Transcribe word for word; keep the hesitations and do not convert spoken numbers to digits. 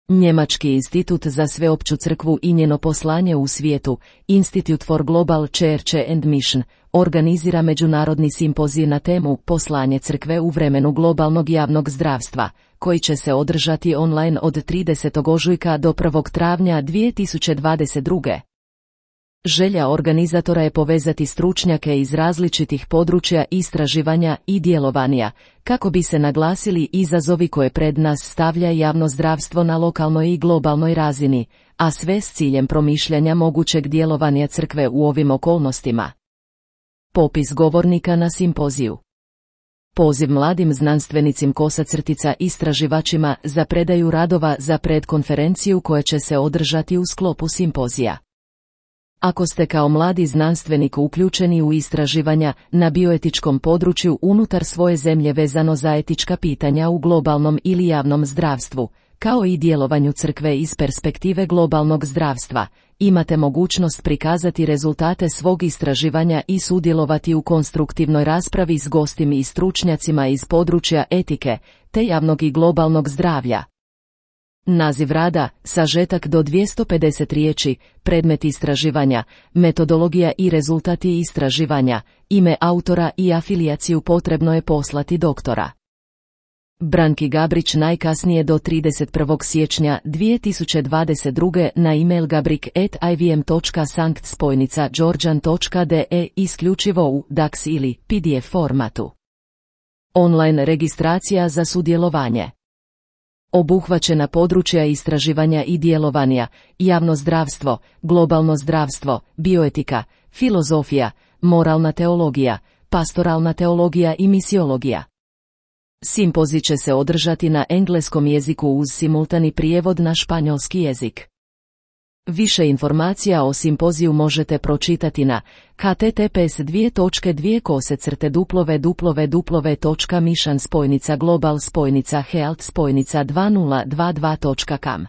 Njemački institut za sveopću crkvu i njeno poslanje u svijetu, Institute for Global Church and Mission, organizira međunarodni simpozij na temu Poslanje crkve u vremenu globalnog javnog zdravstva, koji će se održati online od tridesetog ožujka do prvog travnja dvije tisuće dvadeset druge. Želja organizatora je povezati stručnjake iz različitih područja istraživanja i djelovanja, kako bi se naglasili izazovi koje pred nas stavlja javno zdravstvo na lokalnoj i globalnoj razini, a sve s ciljem promišljanja mogućeg djelovanja crkve u ovim okolnostima. Popis govornika na simpoziju. Poziv mladim znanstvenicim kosacrtica istraživačima za predaju radova za predkonferenciju koja će se održati u sklopu simpozija. Ako ste kao mladi znanstvenik uključeni u istraživanja na bioetičkom području unutar svoje zemlje vezano za etička pitanja u globalnom ili javnom zdravstvu, kao i djelovanju crkve iz perspektive globalnog zdravstva, imate mogućnost prikazati rezultate svog istraživanja i sudjelovati u konstruktivnoj raspravi s gostima i stručnjacima iz područja etike, te javnog i globalnog zdravlja. Naziv rada, sažetak do dvjesto pedeset riječi, predmet istraživanja, metodologija i rezultati istraživanja, ime autora i afilijaciju potrebno je poslati doktora Branki Gabrić najkasnije do trideset prvog siječnja dvije tisuće dvadeset druge na email gabrik at i v m točka sankt spojnica georgian točka d e isključivo u D A X ili P D F formatu. Online registracija za sudjelovanje. Obuhvaćena područja istraživanja i djelovanja, javno zdravstvo, globalno zdravstvo, bioetika, filozofija, moralna teologija, pastoralna teologija i misiologija. Simpozij će se održati na engleskom jeziku uz simultani prijevod na španjolski jezik. Više informacija o simpoziju možete pročitati na h t t p s dvije točke dvije kosacrte duplove duplove duplove točka mission spojnica global spojnica health spojnica dvije tisuće dvadset dva točka com.